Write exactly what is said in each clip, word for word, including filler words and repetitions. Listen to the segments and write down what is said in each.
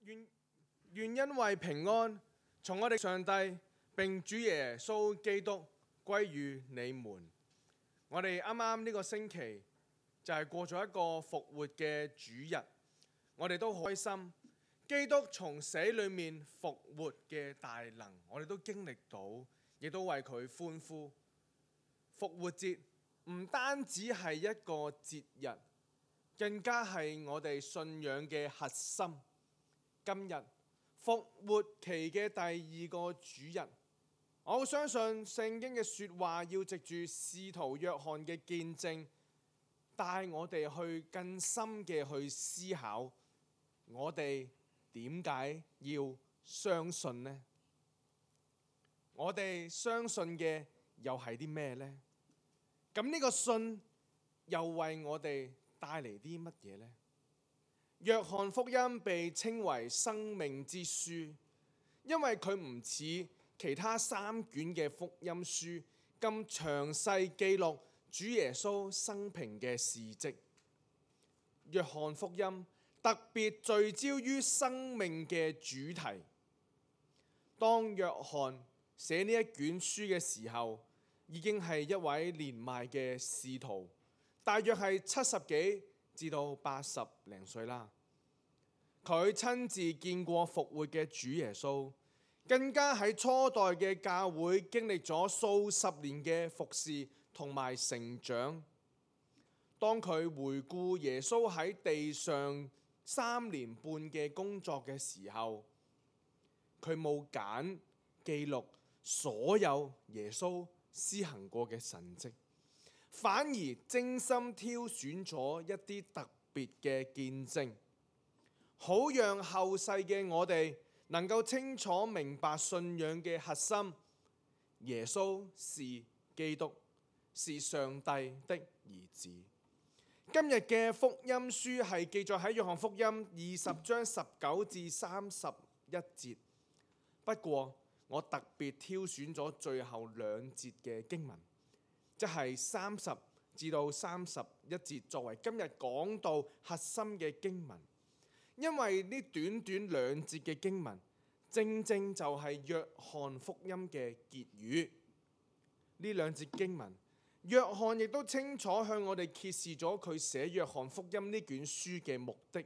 願願因為平安從我哋上帝並主耶穌基督歸於你們。我哋啱啱呢個星期就係過咗一個復活嘅主日，我哋都好開心。基督從死裏面復活嘅大能，我哋都經歷到，亦都為佢歡呼。復活節唔單止係一個節日，更加係我哋信仰嘅核心。今日復活期嘅第二個主日，我好相信聖經嘅說話要藉住使徒約翰嘅見證，帶我哋去更深嘅去思考，我哋點解要相信呢？我哋相信嘅又係啲咩呢？咁呢個信又為我哋帶嚟啲乜嘢呢？約翰福音被稱為生命之書，因為佢唔似其他三卷嘅福音書咁詳細記錄主耶穌生平嘅事蹟。約翰福音特別聚焦於生命嘅主題。當約翰寫呢一卷書嘅時候，已經係一位年邁嘅使徒，大約係七十幾至到八十零歲啦。佢親自見過復活嘅主耶穌，更加喺初代嘅教會經歷咗數十年嘅服侍同埋成長。當佢回顧耶穌喺地上三年半嘅工作嘅時候，佢冇揀記錄所有耶穌施行過嘅神蹟，反而精心挑選咗一啲特別嘅見證，好讓後世嘅我哋能夠清楚明白信仰嘅核心：耶穌是基督，是上帝的兒子。今日嘅福音書係記載喺約翰福音二十章十九至三十一節，不過我特別挑選咗最後兩節嘅經文，即係三十至到三十一節，作為今日講道核心嘅經文。因為呢短短兩節嘅經文，正正就係約翰福音嘅結語。呢兩節經文，約翰亦都清楚向我哋揭示咗佢寫約翰福音呢卷書嘅目的，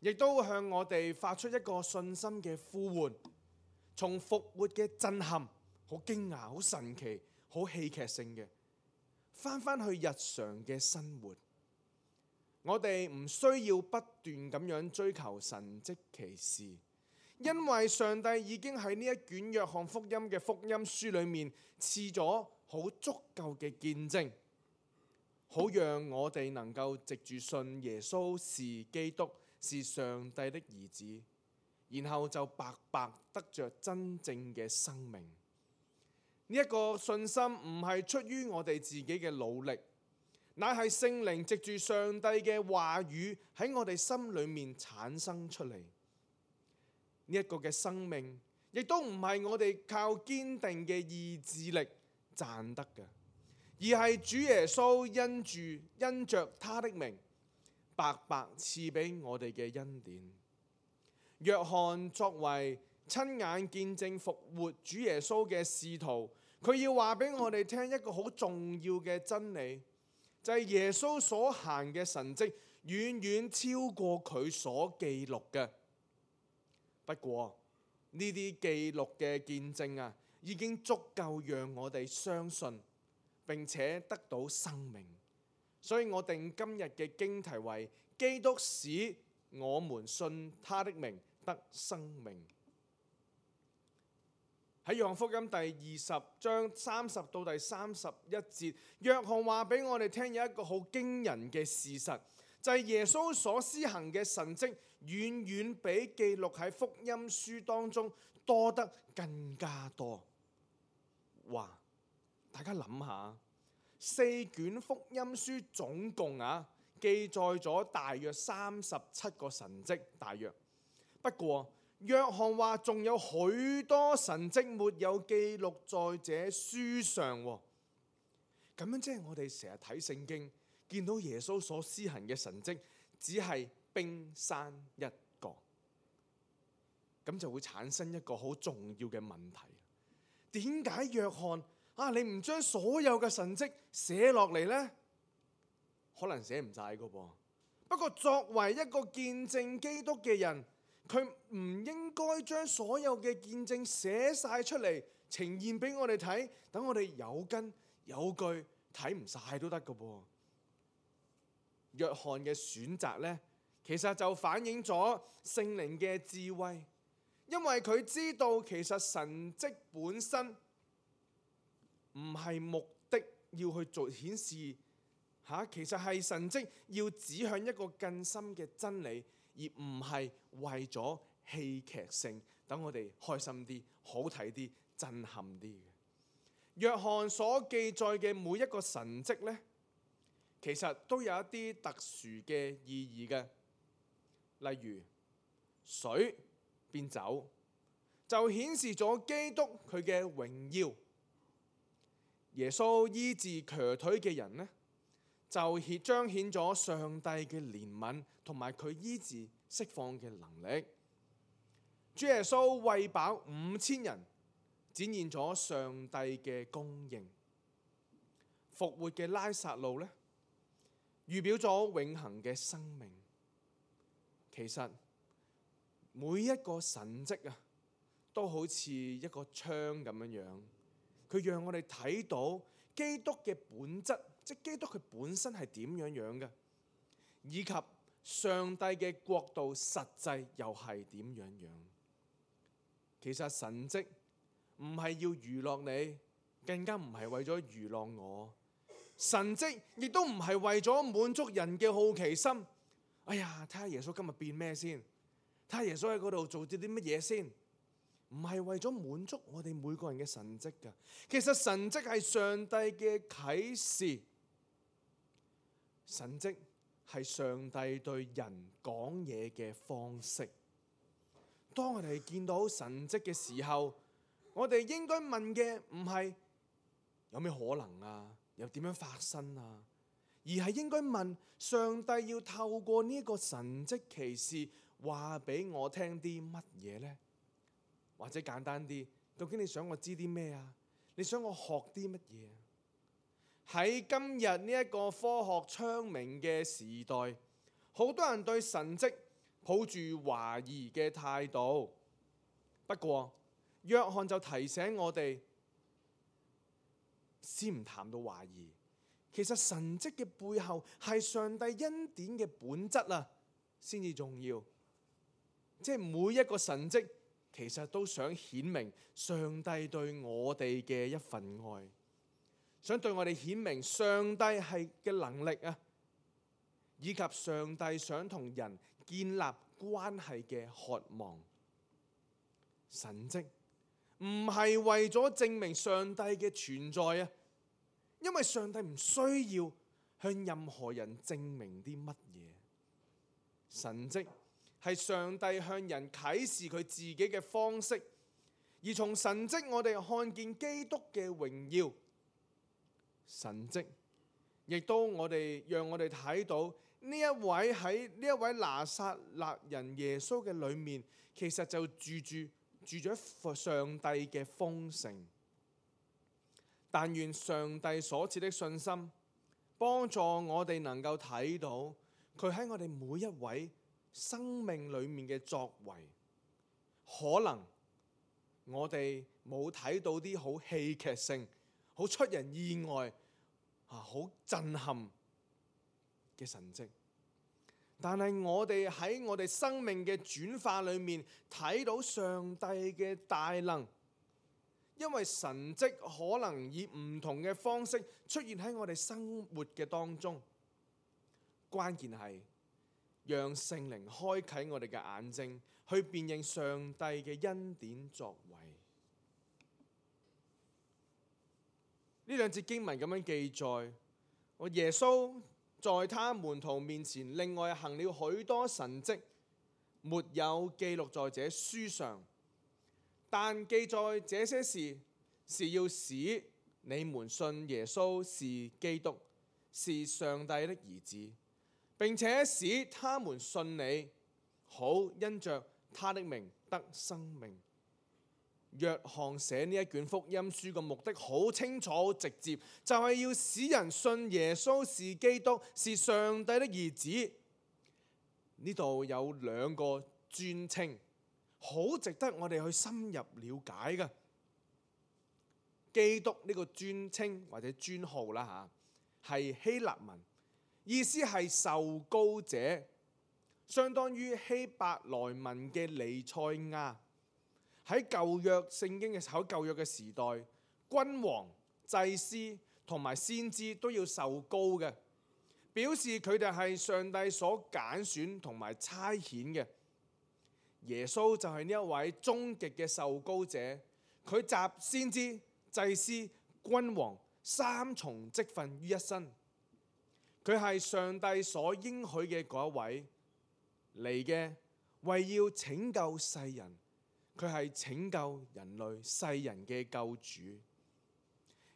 亦都向我哋發出一個信心嘅呼喚。從復活嘅震撼，好驚訝、好神奇、好戲劇性嘅，翻返去日常嘅生活。我哋唔需要不斷咁樣追求神蹟奇事，因為上帝已經喺呢一卷約翰福音嘅福音書裏面賜咗好足夠嘅見證，好讓我哋能夠藉住信耶穌是基督，是上帝的兒子，然後就白白得着真正嘅生命。呢、這、一個信心唔係出於我哋自己嘅努力，乃係聖靈藉住上帝嘅話語喺我哋心裏面產生出嚟。呢、這、一個嘅生命，亦都唔係我哋靠堅定嘅意志力賺得嘅，而係主耶穌因住因着他的名，白白賜俾我哋嘅恩典。約翰作為親眼見證復活主耶穌嘅使徒，佢要話俾我哋聽一個好重要嘅真理，就係耶穌所行嘅神蹟遠遠超過佢所記錄嘅。不過呢啲記錄嘅見證啊，已經足夠讓我哋相信並且得到生命。所以我定今日嘅經題為基督使我們信他的名得生命。喺約翰福音第二十章三十到第三十一節，約翰話俾我哋聽有一個好驚人嘅事實，就係耶穌所施行嘅神蹟遠遠比記錄喺福音書當中多得更加多。哇！大家諗下，四卷福音書總共啊記載咗大約三十七個神蹟，大約。不過約翰話仲有許多神蹟沒有記錄在這書上。咁樣即係我哋成日睇聖經，見到耶穌所施行嘅神蹟只係冰山一角。咁就會產生一個好重要嘅問題。點解約翰啊，你唔將所有嘅神蹟寫落嚟呢？可能寫唔晒噶噃。不過作為一個見證基督嘅人，佢唔應該將所有嘅見證寫晒出嚟，呈現俾我哋睇，等我哋有根有據，睇唔晒都得噶噃。約翰嘅選擇呢，其實就反映咗聖靈嘅智慧，因為佢知道其實神蹟本身唔係目的要去做顯示吓，其實係神蹟要指向一個更深嘅真理，而唔係為咗戲劇性，等我哋開心啲、好睇啲、震撼啲嘅。約翰所記載嘅每一個神蹟呢，其實都有一啲特殊嘅意義嘅，例如水變酒，就顯示咗基督佢嘅榮耀；耶穌醫治瘸腿嘅人呢，就顯彰顯咗上帝嘅憐憫同埋佢醫治釋放嘅能力。主耶穌餵飽五千人，展現咗上帝嘅供應。復活嘅拉撒路呢，預表咗永恆嘅生命。其實每一個神蹟啊，都好似一個窗咁樣樣，佢讓我哋睇到基督嘅本質，即基督佢本身係點樣樣嘅，以及上帝嘅國度實際又係點樣樣。其實神蹟唔係要娛樂你，更加唔係為咗娛樂我。神蹟亦都唔係為咗滿足人嘅好奇心。哎呀，睇下耶穌今日變咩先，睇下耶穌喺嗰度做啲啲乜嘢先。唔係為咗滿足我哋每個人嘅神蹟㗎。其實神蹟係上帝嘅啟示，神蹟係上帝對人講嘢嘅方式。當我哋見到神蹟嘅時候，我哋應該問嘅唔係有咩可能啊，又點樣發生啊，而係應該問上帝要透過呢個神蹟奇事話俾我聽啲乜嘢呢？或者簡單啲，究竟你想我知啲咩啊？你想我學啲乜嘢？喺今日呢一個科學昌明嘅時代，好多人對神蹟抱住懷疑嘅態度。不過約翰就提醒我哋，先唔談到懷疑，其實神蹟嘅背後係上帝恩典嘅本質啊，先至重要。即係每一個神蹟，其實都想顯明上帝對我哋嘅一份愛，想對我哋顯明上帝係嘅能力啊，以及上帝想同人建立關係嘅渴望。神蹟唔係為咗證明上帝嘅存在啊，因為上帝唔需要向任何人證明啲乜嘢。神蹟係上帝向人啟示佢自己嘅方式，而從神蹟我哋看見基督嘅榮耀。神蹟亦都我哋讓我哋睇到呢一位喺呢一位拿撒勒人耶穌嘅裏面，其實就住住住咗上帝嘅豐盛。但願上帝所賜的信心幫助我哋能夠睇到佢喺我哋每一位生命裏面嘅作為。可能我哋冇睇到啲好戲劇性、好出人意外、好震撼嘅神蹟，但係我哋喺我哋生命嘅轉化裏面睇到上帝嘅大能。因為神蹟可能以唔同嘅方式出現喺我哋生活嘅當中，關鍵係讓聖靈開啟我哋嘅眼睛，去辨認上帝嘅恩典作為。呢兩節經文咁樣記載，我耶穌在他門徒面前另外行了許多神蹟，沒有記錄在這書上。但記載這些事，是要使你們信耶穌是基督，是上帝的兒子，並且使他們信你，好因着他的名得生命。約翰寫呢一卷福音書嘅目的好清楚、好直接，就係要使人信耶穌是基督，是上帝的兒子。呢度有兩個尊稱，好值得我哋去深入了解嘅。基督呢個尊稱或者尊號啦嚇，係希臘文，意思係受膏者，相當於希伯來文嘅彌賽亞。喺舊約聖經嘅喺舊約嘅時代，君王、祭司同埋先知都要受膏嘅，表示佢哋係上帝所揀選同埋差遣嘅。耶穌就係呢一位終極嘅受膏者，佢集先知、祭司、君王三重職分於一身。佢係上帝所應許嘅嗰一位嚟嘅，為要拯救世人。佢係拯救人類世人嘅救主。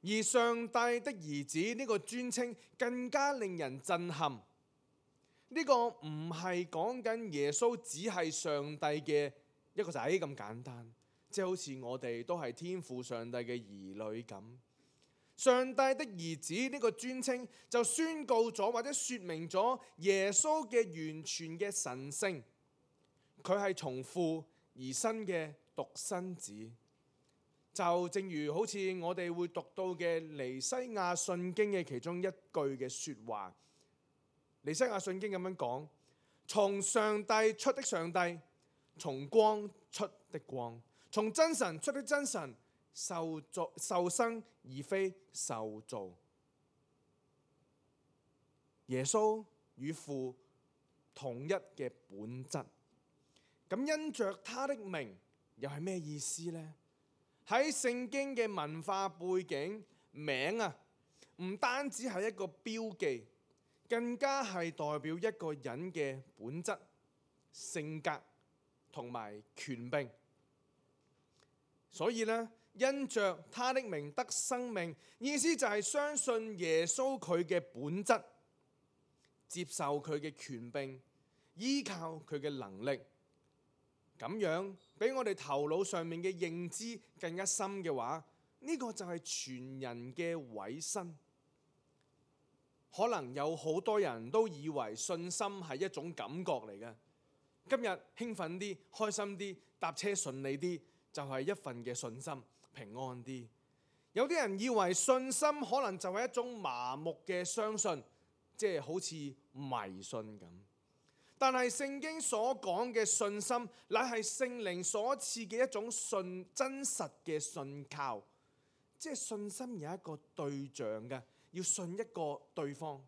而上帝的兒子呢個尊稱更加令人震撼。呢個唔係講緊耶穌只係上帝嘅一個仔咁簡單，即係好似我哋都係天父上帝嘅兒女咁。上帝的兒子呢個尊稱就宣告咗或者說明咗耶穌嘅完全嘅神性。佢係從父而生嘅獨生子，就正如好似我哋會讀到嘅尼西亞信經嘅其中一句嘅說話。尼西亞信經咁樣講：從上帝出的上帝，從光出的光，從真神出的真神，受造受生而非受造。耶穌與父同一嘅本質。咁因着他的名又係咩意思呢？喺聖經嘅文化背景，名啊唔單止係一個標記，更加係代表一個人嘅本質、性格同埋權柄。所以呢，因着他的名得生命，意思就係相信耶穌佢嘅本質，接受佢嘅權柄，依靠佢嘅能力。咁樣比我哋頭腦上面嘅認知更加深嘅話，呢個就係全人嘅委身。可能有好多人都以為信心係一種感覺嚟嘅，今日興奮啲、開心啲、搭車順利啲，就係一份嘅信心，平安啲。有啲人以為信心可能就係一種麻木嘅相信，即係好似迷信咁。但係聖經所講嘅信心，乃係聖靈所賜嘅一種信真實嘅信靠，即係信心有一個對象嘅，要信一個對方，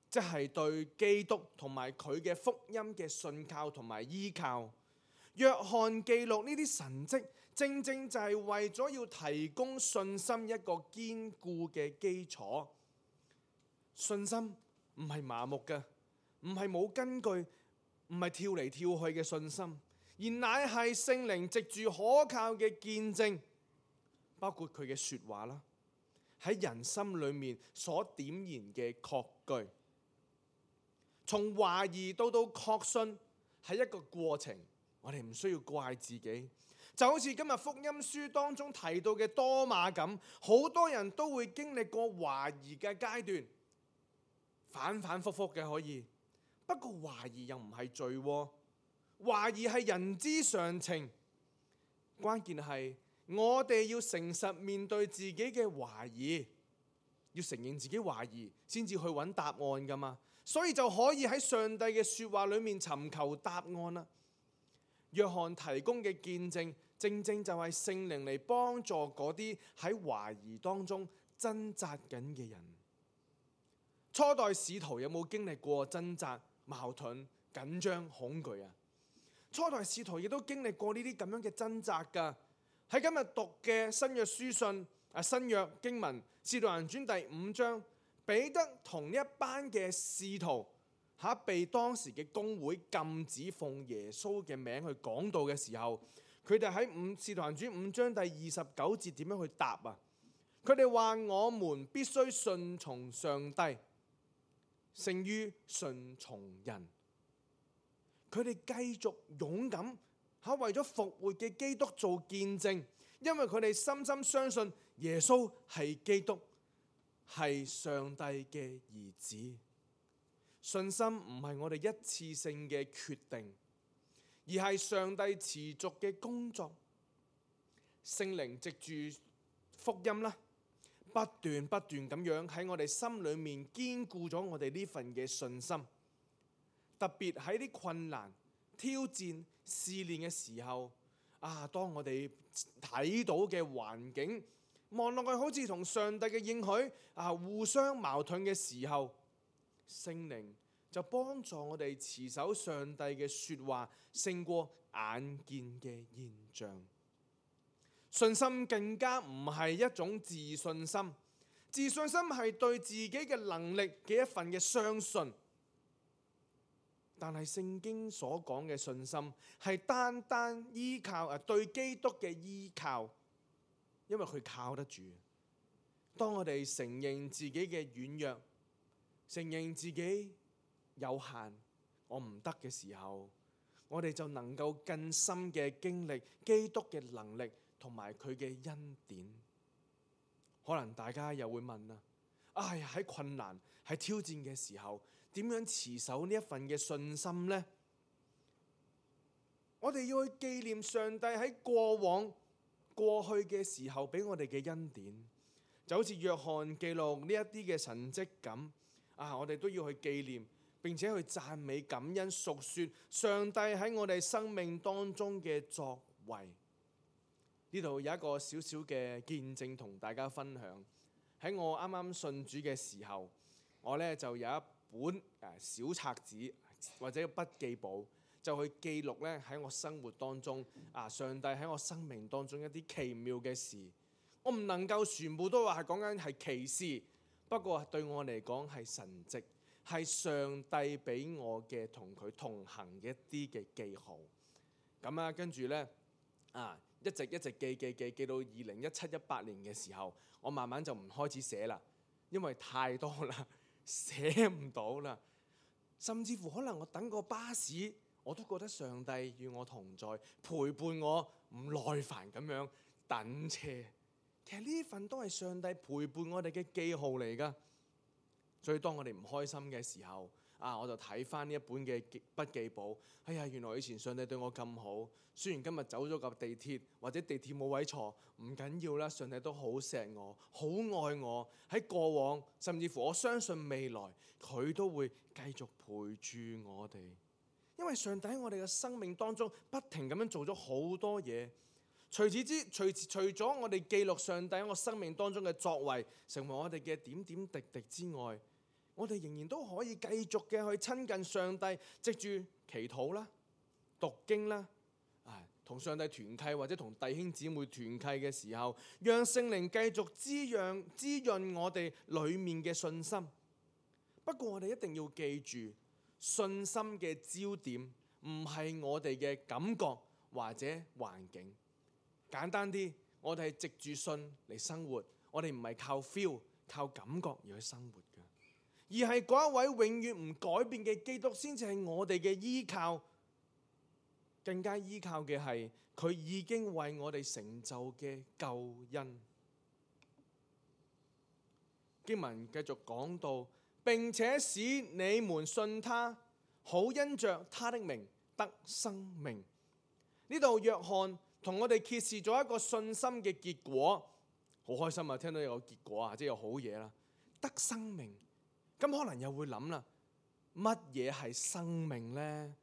即係對基督同埋佢嘅福音嘅信靠同埋依靠。約翰記錄呢啲神蹟，正正就係為咗要提供信心一個堅固嘅基礎。信心唔係麻木嘅，唔係冇根據，唔係跳嚟跳去嘅信心，而乃係聖靈藉住可靠嘅見證，包括佢嘅說話啦，喺人心裏面所點燃嘅確據。從懷疑到到確信係一個過程，我哋唔需要怪自己。就好似今日福音書當中提到嘅多馬咁，好多人都會經歷過懷疑嘅階段，反反复复嘅可以。不過懷疑又唔係罪，懷疑係人之常情。關鍵係我哋要誠實面對自己嘅懷疑，要承認自己懷疑，先至去揾答案噶嘛。所以就可以喺上帝嘅說話裏面尋求答案啦。約翰提供嘅見證，正正就係聖靈嚟幫助嗰啲喺懷疑當中掙扎緊嘅人。初代使徒有冇經歷過掙扎、矛盾、緊張、恐懼啊？初代使徒亦都經歷過呢啲咁樣嘅掙扎㗎。喺今日讀嘅新約書信啊，新約經文《使徒行傳》第五章，彼得同一班嘅使徒嚇被當時嘅公會禁止奉耶穌嘅名去講道嘅時候，佢哋喺《五使徒行傳》五章第二十九節點樣去答啊？佢哋話：我們必須順從上帝，勝於順從人。佢哋繼續勇敢嚇為咗復活嘅基督做見證，因為佢哋深深相信耶穌係基督，係上帝嘅兒子。信心唔係我哋一次性嘅決定，而係上帝持續嘅工作。聖靈藉住福音啦，不斷不斷咁樣喺我哋心裏面堅固咗我哋呢份嘅信心。特別喺啲困難、挑戰、試煉嘅時候，啊，當我哋睇到嘅環境望落去好似同上帝嘅應許啊互相矛盾嘅時候，聖靈就幫助我哋持守上帝嘅說話，勝過眼見嘅現象。信心更加唔係一種自信心，自信心係對自己嘅能力嘅一份嘅相信。但係聖經所講嘅信心係單單依靠啊對基督嘅依靠，因為佢靠得住。當我哋承認自己嘅軟弱，承認自己有限，我唔得嘅時候，我哋就能夠更深嘅經歷基督嘅能力同埋佢嘅恩典。可能大家又會問啦，哎呀，喺困難喺挑戰嘅時候，點樣持守呢一份嘅信心呢？我哋要去紀念上帝喺過往過去嘅時候俾我哋嘅恩典，就好似約翰記錄呢一啲嘅神蹟咁啊！我哋都要去紀念，並且去讚美感恩，述說上帝喺我哋生命當中嘅作為。呢度有一個小小嘅見證同大家分享。喺我啱啱信主嘅時候，我呢就有一本小冊子或者筆記簿，就去記錄咧喺我生活當中啊，上帝喺我生命當中一啲奇妙嘅事。我唔能夠全部都話係講緊係奇事，不過對我嚟講係神蹟，係上帝俾我嘅同佢同行嘅一啲嘅記號。咁啊，跟住呢，啊，一直一直記記記記到二零一七一八年嘅時候，我慢慢就唔開始寫啦，因為太多啦，寫唔到啦。甚至乎可能我等個巴士，我都覺得上帝與我同在，陪伴我，唔耐煩咁樣等車。其實呢份都係上帝陪伴我哋嘅記號嚟㗎。所以當我哋唔開心嘅時候，啊，我就睇翻呢一本嘅筆記簿。哎呀，原來以前上帝對我咁好，雖然今日走咗架地鐵或者地鐵冇位坐，唔緊要啦。上帝都好錫我，好愛我。喺過往，甚至乎我相信未來，佢都會繼續陪住我哋。因為上帝喺我哋嘅生命當中不停咁樣做咗好多嘢。除此之除除咗我哋記錄上帝喺我生命當中嘅作為，成為我哋嘅點點滴滴之外，我哋仍然都可以繼續嘅去親近上帝，藉住祈禱啦、讀經啦，啊，同上帝團契或者同弟兄姊妹團契嘅時候，讓聖靈繼續滋養滋潤我哋裡面嘅信心。不過我哋一定要記住，信心嘅焦點唔係我哋嘅感覺或者環境。簡單啲，我哋係藉住信嚟生活，我哋唔係靠 feel、靠感覺而去生活嘅，而係嗰一位永遠唔改變嘅基督先至係我哋嘅依靠。更加依靠嘅係佢已經為我哋成就嘅救恩。經文繼續講到，並且使你們信他，好因着他的名得生命。呢度約翰同我哋揭示咗一個信心嘅結果，好開心啊！聽到有個結果啊，即係有好嘢啦，得生命。咁可能又會諗啦，乜嘢係生命呢？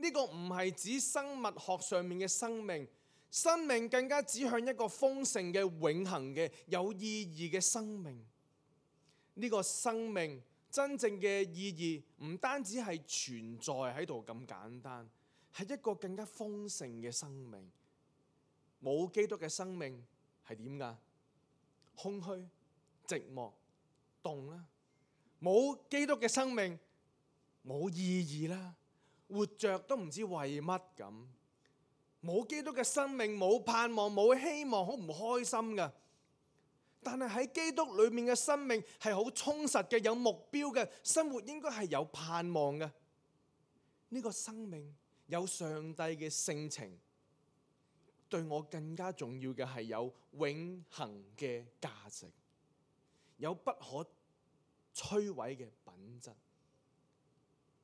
呢個唔係指生物學上面嘅生命，生命更加指向一個豐盛嘅、永恆嘅、有意義嘅生命。呢個生命真正嘅意義唔單止係存在喺度咁簡單，係一個更加豐盛嘅生命。冇基督嘅生命係點㗎？空虛、寂寞、凍啦。冇基督嘅生命冇意義啦，活着都唔知為乜咁。冇基督嘅生命冇盼望、冇希望，好唔開心㗎。但係喺基督裏面嘅生命係好充實嘅，有目標嘅生活，應該係有盼望嘅。呢個生命有上帝嘅性情。對我更加重要嘅係有永恆嘅價值，有不可摧毀嘅品質。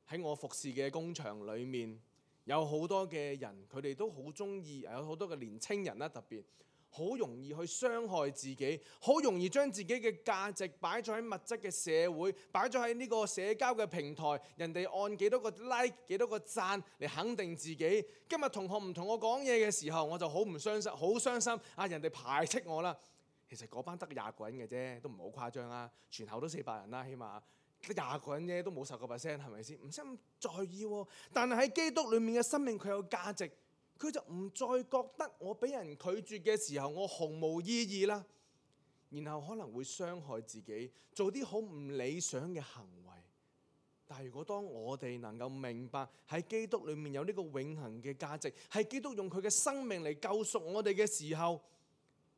喺我服侍嘅工場裏面，有好多嘅人，佢哋都好中意，有好多嘅年青人啦，特別好容易去傷害自己，好容易將自己嘅價值擺咗喺物質嘅社會，擺咗喺呢個社交嘅平台，人哋按幾多個 like、幾多個讚嚟肯定自己。今日同學唔同我講嘢嘅時候，我就好唔傷心，好傷心啊！人哋排斥我啦。其實嗰班得廿個人嘅啫，都唔係好誇張啊，全校都四百人啦，起碼。得廿個人啫，都冇十個 percent，係咪先？唔使咁在意喎。但係喺基督裏面嘅生命，佢有價值，佢就唔再覺得我俾人拒絕嘅時候，我毫無意義啦。然後可能會傷害自己，做啲好唔理想嘅行為。但係如果當我哋能夠明白喺基督裏面有呢個永恆嘅價值，係基督用佢嘅生命嚟救贖我哋嘅時候，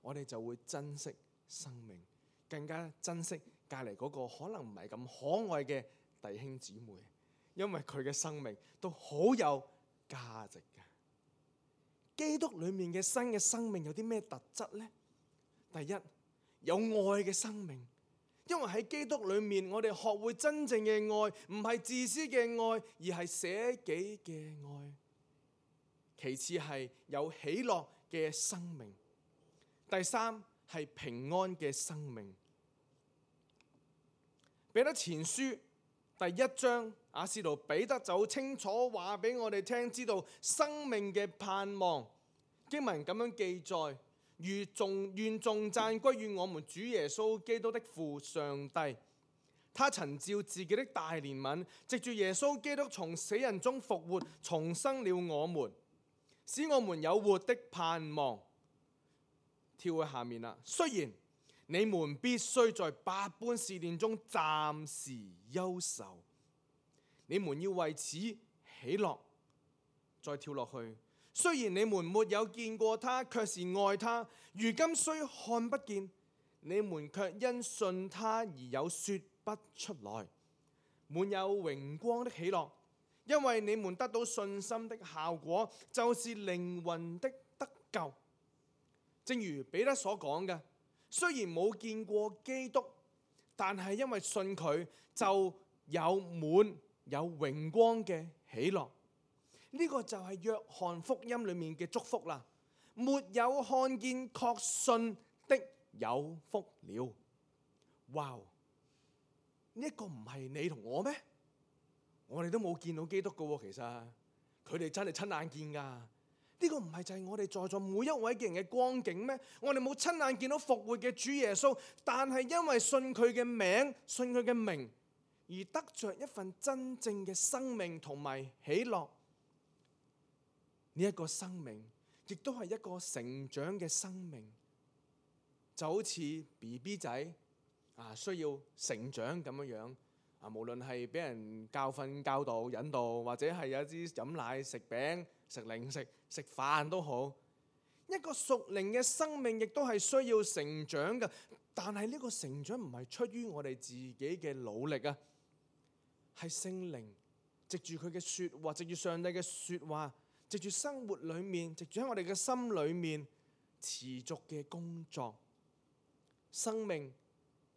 我哋就會珍惜生命，更加珍惜隔離嗰個可能唔係咁可愛嘅弟兄姊妹，因為佢嘅生命都好有價值嘅。基督裏面嘅新嘅生命有啲咩特質呢？第一，有愛嘅生命，因為喺基督裏面，我哋學會真正嘅愛，唔係自私嘅愛，而係捨己嘅愛。其次係有喜樂嘅生命，第三係平安嘅生命。彼得前書第一章，阿使徒彼得就好清楚話俾我哋聽，知道生命嘅盼望。經文咁樣記載：如頌願頌讚歸於我們主耶穌基督的父上帝，他曾照自己的大憐憫，藉住耶穌基督從死人中復活，重生了我們，使我們有活的盼望。跳去下面啦，雖然你們必須在百般試煉中暫時憂愁，你們要為此喜樂。再跳落去，雖然你們沒有見過他，卻是愛他；如今雖看不見，你們卻因信他而有說不出來，滿有榮光的喜樂，因為你們得到信心的效果，就是靈魂的得救。正如彼得所講嘅，雖然冇見過基督，但係因為信佢，就有滿有榮光嘅喜樂。呢、這個就係約翰福音裏面嘅祝福啦。沒有看見確信的有福了。哇！呢一個唔係你同我咩？我哋都冇見到基督噶喎，其實佢哋真係親眼見噶。呢個唔係就係我哋在座每一位嘅人嘅光景咩？我哋冇親眼見到復活嘅主耶穌，但係因為信佢嘅名、信佢嘅名，而得着一份真正嘅生命同埋喜樂。呢一個生命亦都係一個成長嘅生命，就好似 B B 仔啊，需要成長咁樣樣啊。無論係俾人教訓、教導、引導，或者係有啲飲奶、食餅、食零食、食飯都好，一個屬靈嘅生命亦都係需要成長嘅。但係呢個成長唔係出於我哋自己嘅努力啊，係聖靈藉住佢嘅說話，藉住上帝嘅說話，藉住生活裏面，藉住喺我哋嘅心裏面持續嘅工作。生命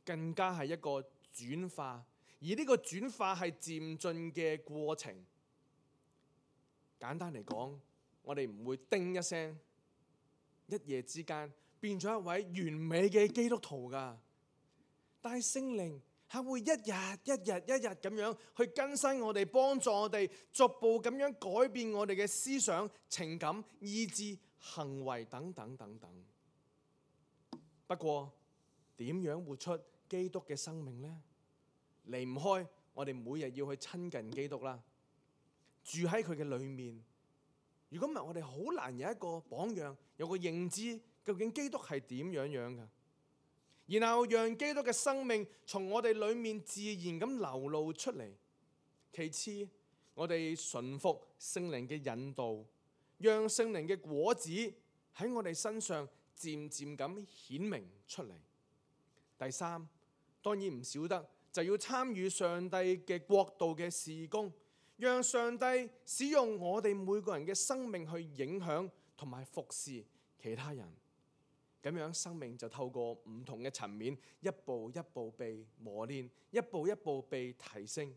更加係一個轉化，而呢個轉化係漸進嘅過程。簡單嚟講，我哋唔會叮一聲，一夜之間變咗一位完美嘅基督徒㗎。但係聖靈係會一日一日一日咁樣去更新我哋，幫助我哋逐步咁樣改變我哋嘅思想、情感、意志、行為等等等等。不過點樣活出基督嘅生命呢？離唔開我哋每日要去親近基督啦，住喺佢嘅裏面。如果唔係，我哋好難有一個榜樣，有個認知，究竟基督係點樣樣㗎？然後讓基督嘅生命從我哋裏面自然咁流露出嚟。其次，我哋順服聖靈嘅引導，讓聖靈嘅果子喺我哋身上漸漸咁顯明出嚟。第三，當然唔少得就要參與上帝嘅國度嘅事工，讓上帝使用我哋每個人嘅生命去影響同埋服侍其他人。咁樣生命就透過唔同嘅層面，一步一步被磨練，一步一步被提升。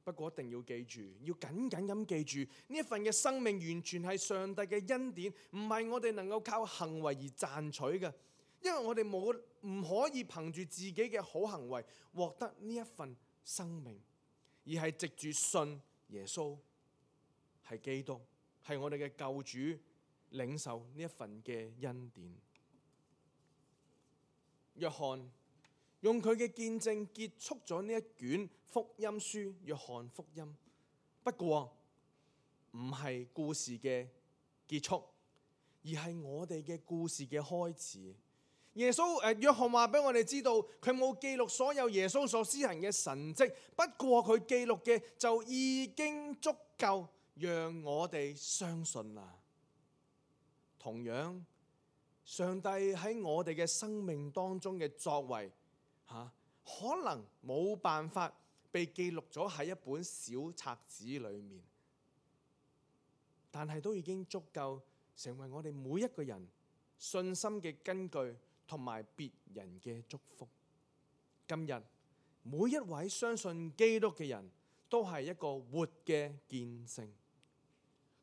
不過一定要記住，要緊緊咁記住，呢一份嘅生命完全係上帝嘅恩典，唔係我哋能夠靠行為而賺取嘅。因為我哋冇唔可以憑住自己嘅好行為獲得呢一份生命，而係藉住信耶穌係基督，係我哋嘅救主，領受呢一份嘅恩典。約翰用佢嘅見證結束咗呢一卷福音書，約翰福音。不過唔係故事嘅結束，而係我哋嘅故事嘅開始。耶穌誒，約翰話俾我哋知道，佢冇記錄所有耶穌所施行嘅神蹟，不過佢記錄嘅就已經足夠讓我哋相信啦。同樣，上帝喺我哋嘅生命當中嘅作為嚇、啊，可能冇辦法被記錄咗喺一本小冊子裏面，但係都已經足夠成為我哋每一個人信心嘅根據，同埋別人嘅祝福。今日每一位相信基督嘅人都係一個活嘅見證。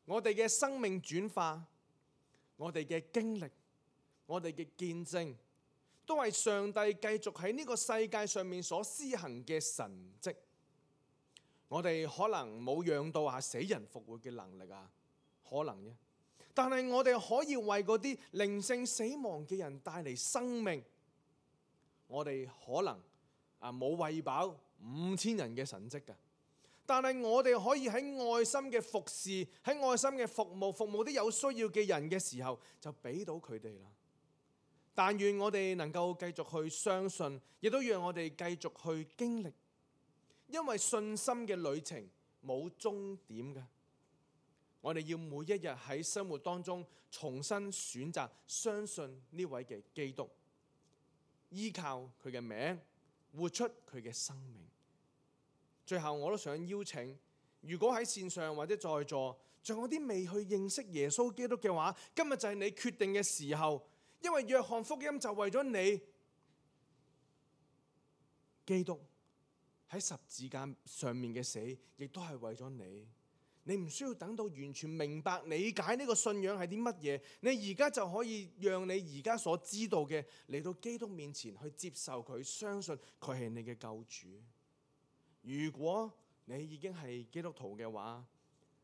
我哋嘅生命轉化，我哋嘅經歷，我哋嘅見證，都係上帝繼續喺呢個世界上面所施行嘅神蹟。我哋可能冇養到啊死人復活嘅能力啊，可能啫。但係我哋可以為嗰啲靈性死亡嘅人帶嚟生命。我哋可能啊冇餵飽五千人嘅神蹟㗎，但係我哋可以喺愛心嘅服侍，喺愛心嘅服務，服務啲有需要嘅人嘅時候，就俾到佢哋啦。但願我哋能夠繼續去相信，亦都讓我哋繼續去經歷，因為信心嘅旅程冇終點嘅。我哋要每一日喺生活當中重新選擇相信呢位嘅基督，依靠佢嘅名，活出佢嘅生命。最後我都想邀請，如果喺線上或者在座仲有啲未去認識耶穌基督嘅話，今日就係你決定嘅時候，因為約翰福音就為咗你，基督喺十字架上面嘅死，亦都係為咗你。你唔需要等到完全明白理解呢個信仰係啲乜嘢，你而家就可以讓你而家所知道嘅嚟到基督面前去接受佢，相信佢係你嘅救主。如果你已經係基督徒嘅話，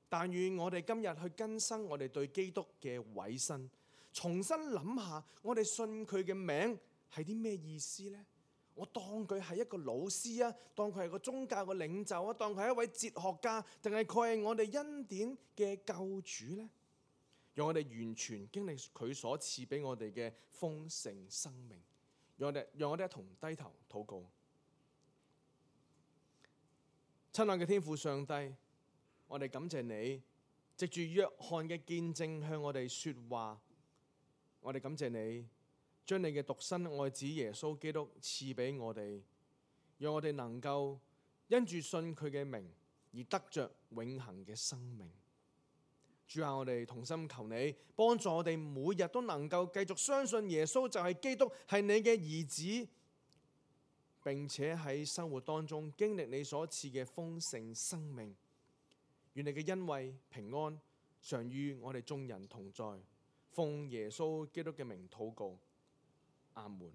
但願我哋今日去更新我哋對基督嘅委身，重新諗下我哋信佢嘅名係啲咩意思呢？我當佢係一個老師啊，當佢係個宗教嘅領袖啊，當佢係一位哲學家，定係佢係我哋恩典嘅救主呢？讓我哋完全經歷佢所賜俾我哋嘅豐盛生命。讓我哋讓我哋一同低頭禱告。親愛嘅天父上帝，我哋感謝你，藉住約翰嘅見證向我哋說話。我哋感謝你，將你嘅獨生愛子耶穌基督賜俾我哋，讓我哋能夠因住信佢嘅名而得着永恆嘅生命。主啊，我哋同心求你幫助我哋，每日都能夠繼續相信耶穌就係基督，係你嘅兒子，並且喺生活當中經歷你所賜嘅豐盛生命。願你嘅恩惠平安常與我哋眾人同在。奉耶穌基督嘅名禱告。阿門。